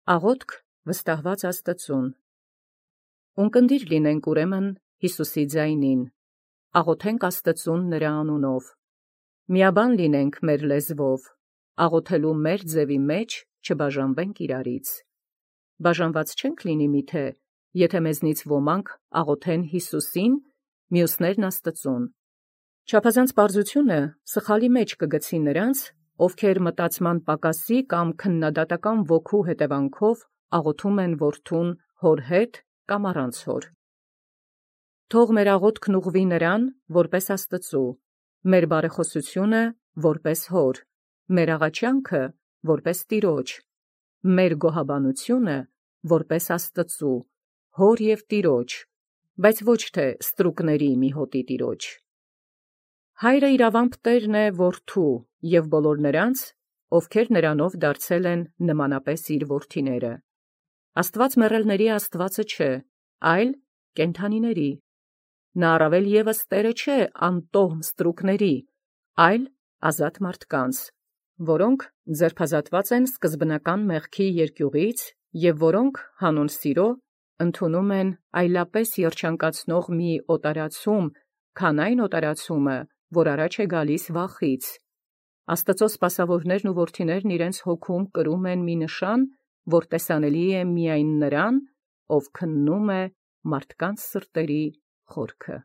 Աղոթք վստահված Աստծուն։ Ունկնդիր լինենք ուրեմն Յիսուսի ձայնին, աղոթենք Աստծուն նրա անունով, միաբան լինենք մեր լեզվով, աղոթելու մեր ձևի մեջ չբաժանվենք իրարից։ Բաժանված չենք լինի միթե, եթե մեզնից ոմանք աղոթեն Յիսուսին, մյուսներն Աստծուն։ Չափազանց պարզությունը սխալի մեջ կգցի նրանց, ովքեր մտածման պակասի կամ քննադատական ոգու հետևանքով աղոթում են որդուն հոր հետ կամ առանց հոր։ Թող մեր աղոթքն ուղղվի նրան որպես Աստծու, մեր բարեխոսությունը որպես հոր, մեր աղաչանքը որպես Տիրոջ, մեր գոհաբանությունը որպես Աստծու, հոր և Տիրոջ, բայց ոչ թե ստրուկների մի հոտի Տիրոջ։ Հայրը իրավամբ տերն է որդու և բոլոր նրանց, ովքեր նրանով դարձել են նմանապես իր որդիները։ Աստված մեռելների Աստվածը չէ, այլ կենդանիների։ Նա առավել ևս Տերը չէ անտոհ ստրուկների, այլ ազատ մարդկանց, որոնք ձերբազատված են սկզբնական մեղքի երկյուղից և որոնք հանուն սիրո ընդունում են այլապես երջանկացնող մի օտարացում, քան այն օտարացումը, որ առաջ է գալիս վախից։ Աստծո սպասավորներն ու որդիներն իրենց հոգում կրում են մի նշան, որ տեսանելի է միայն նրան, ով քննում է մարդկանց սրտերի խորքը։